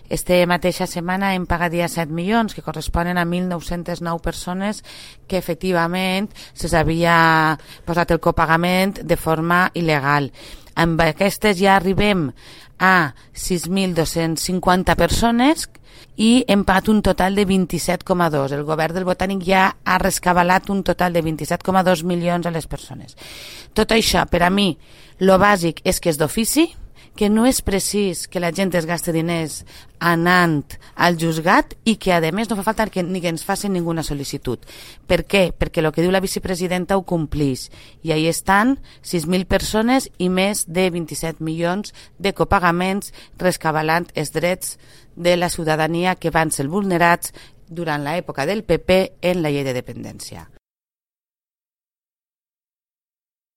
Esta mateixa setmana hem pagat ja 7 milions, que corresponen a 1.909 persones que efectivament se'ls havia posat el copagament de forma il·legal. Amb aquestes ja arribem a 6.250 persones i hem pagat un total de 27,2. El govern del Botànic ja ha rescabalat un total de 27,2 milions a les persones. Tot això, per a mi, lo bàsic és que és d'ofici, que no és precís que la gent es gasti diners anant al juzgat i que, a més, no fa falta ni que ens facin ninguna sol·licitud. Per què? Perquè el que diu la vicepresidenta ho complís. I ahí estan 6.000 persones i més de 27 milions de copagaments rescabalant els drets de la ciutadania que van ser vulnerats durant l'època del PP en la llei de dependència.